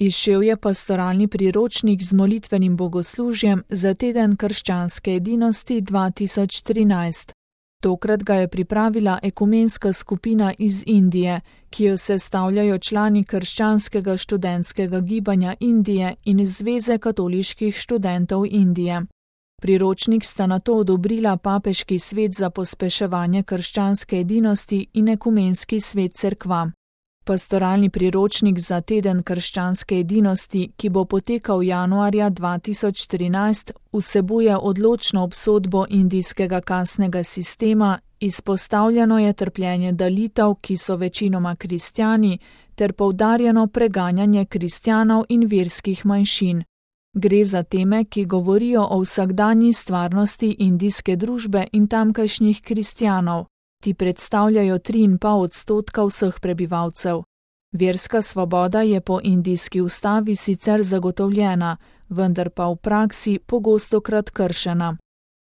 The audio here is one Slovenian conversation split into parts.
Izšel je pastoralni priročnik z molitvenim bogoslužjem za teden krščanske edinosti 2013. Tokrat ga je pripravila ekumenska skupina iz Indije, ki jo sestavljajo člani krščanskega študentskega gibanja Indije in Zveze katoliških študentov Indije. Priročnik sta nato odobrila Papeški svet za pospeševanje krščanske edinosti in Ekumenski svet cerkva. Pastoralni priročnik za teden krščanske edinosti, ki bo potekal januarja 2013, vsebuje odločno obsodbo indijskega kastnega sistema, izpostavljeno je trpljenje dalitev, ki so večinoma kristjani, ter poudarjeno preganjanje kristjanov in verskih manjšin. Gre za teme, ki govorijo o vsakdanji stvarnosti indijske družbe in tamkajšnjih kristjanov. Ti predstavljajo 3,5% vseh prebivalcev. Verska svoboda je po indijski ustavi sicer zagotovljena, vendar pa v praksi pogostokrat kršena.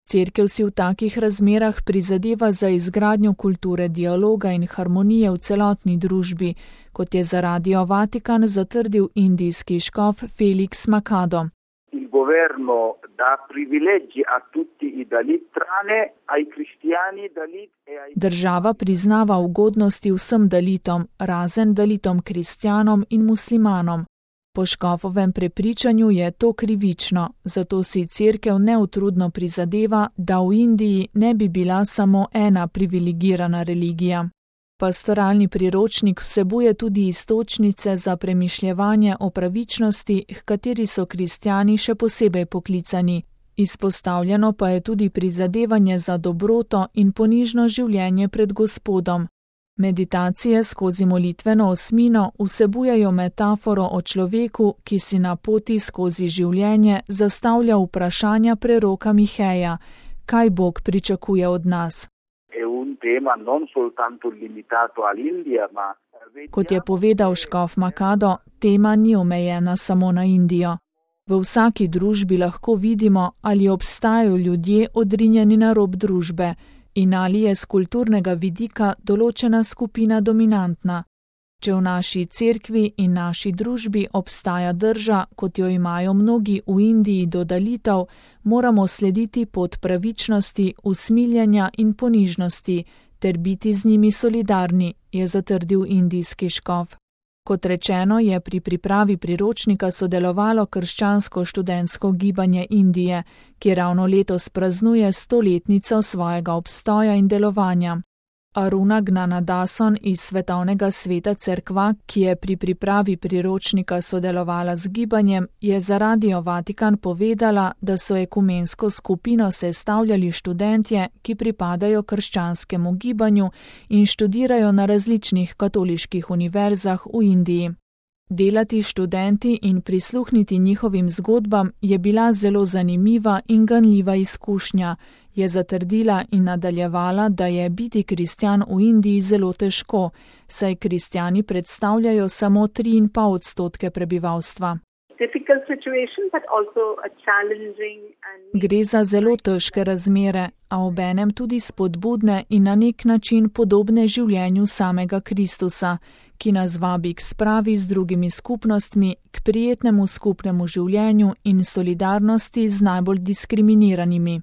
Cerkev si v takih razmerah prizadeva za izgradnjo kulture dialoga in harmonije v celotni družbi, kot je za Radio Vatikan zatrdil indijski škof Felix Makado. Il governo dà privilegi a tutti i Dalit, tranne ai cristiani Dalit e ai... Država priznava ugodnosti vsem Dalitom, razen Dalitom kristjanom in muslimanom. Po škofovem prepričanju je to krivično, zato si cerkev neutrudno prizadeva, da v Indiji ne bi bila samo ena privilegirana religija. Pastoralni priročnik vsebuje tudi iztočnice za premišljevanje o pravičnosti, h kateri so kristjani še posebej poklicani. Izpostavljeno pa je tudi prizadevanje za dobroto in ponižno življenje pred Gospodom. Meditacije skozi molitveno osmino vsebujejo metaforo o človeku, ki si na poti skozi življenje zastavlja vprašanja preroka Miheja, kaj Bog pričakuje od nas. Kot je povedal škof Makado, tema ni omejena samo na Indijo. V vsaki družbi lahko vidimo, ali obstajajo ljudje odrinjeni na rob družbe in ali je z kulturnega vidika določena skupina dominantna. Če v naši cerkvi in naši družbi obstaja drža, kot jo imajo mnogi v Indiji do dalitev, moramo slediti pot pravičnosti, usmiljenja in ponižnosti, ter biti z njimi solidarni, je zatrdil indijski škof. Kot rečeno, je pri pripravi priročnika sodelovalo krščansko študentsko gibanje Indije, ki ravno letos praznuje 100-letnico svojega obstoja in delovanja. Aruna Gnanadason iz Svetovnega sveta cerkva, ki je pri pripravi priročnika sodelovala z gibanjem, je za Radio Vatikan povedala, da so ekumensko skupino sestavljali študentje, ki pripadajo krščanskemu gibanju in študirajo na različnih katoliških univerzah v Indiji. Delati študenti in prisluhniti njihovim zgodbam je bila zelo zanimiva in ganljiva izkušnja, je zatrdila in nadaljevala, da je biti kristjan v Indiji zelo težko, saj kristjani predstavljajo samo 3,5% prebivalstva. Gre za zelo težke razmere, a obenem tudi spodbudne in na nek način podobne življenju samega Kristusa, ki nas vabi k spravi z drugimi skupnostmi, k prijetnemu skupnemu življenju in solidarnosti z najbolj diskriminiranimi.